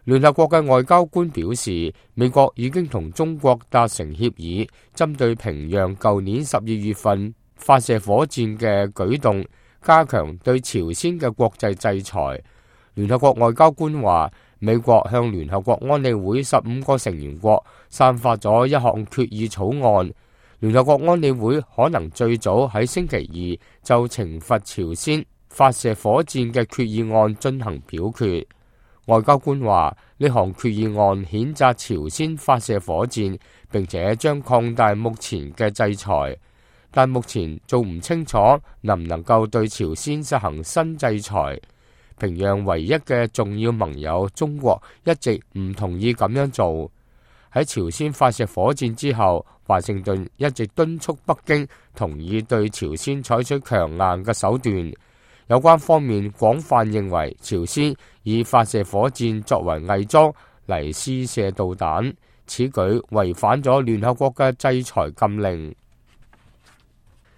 聯合國嘅外交官表示，美國已經同中國達成協議，針對平壤舊年12月份發射火箭嘅舉動，加強對朝鮮嘅國際制裁。聯合國外交官話，美國向聯合國安理會15個成員國散發咗一項決議草案，聯合國安理會可能最早喺星期二就懲罰朝鮮發射火箭嘅決議案進行表決。外交官話，呢項決議案譴責朝鮮發射火箭，並且將擴大目前嘅制裁，但目前做唔清楚能唔能夠對朝鮮實行新制裁。平壤唯一嘅重要盟友中國一直唔同意咁樣做。喺朝鮮發射火箭之後，華盛頓一直敦促北京同意對朝鮮採取強硬嘅手段。有關方面廣泛認為，朝鮮以發射火箭作為偽裝嚟試射導彈，此舉違反咗聯合國嘅制裁禁令。